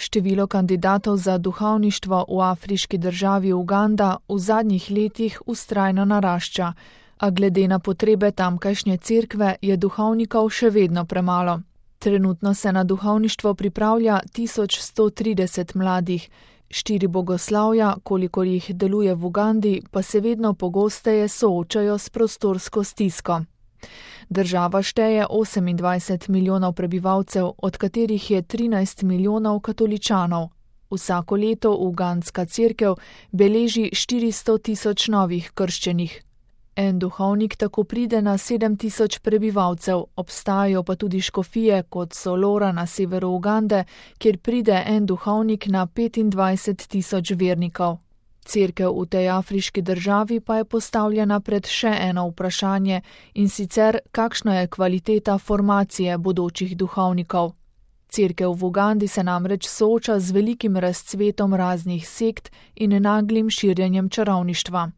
Število kandidatov za duhovništvo v afriški državi Uganda v zadnjih letih vztrajno narašča, a glede na potrebe tamkajšnje cerkve je duhovnikov še vedno premalo. Trenutno se na duhovništvo pripravlja 1130 mladih, 4 bogoslavja, kolikor jih deluje v Ugandi, pa se vedno pogosteje soočajo s prostorsko stisko. Država šteje 28 milijonov prebivalcev, od katerih je 13 milijonov katoličanov. Vsako leto ugandska cerkev beleži 400 tisoč novih krščenih. En duhovnik tako pride na 7 tisoč prebivalcev, obstajajo pa tudi škofije, kot so Lora na severu Ugande, kjer pride en duhovnik na 25 tisoč vernikov. Cerkev v tej afriški državi pa je postavljena pred še eno vprašanje, in sicer kakšna je kvaliteta formacije bodočih duhovnikov. Cerkev v Ugandi se namreč sooča z velikim razcvetom raznih sekt in naglim širjenjem čarovništva.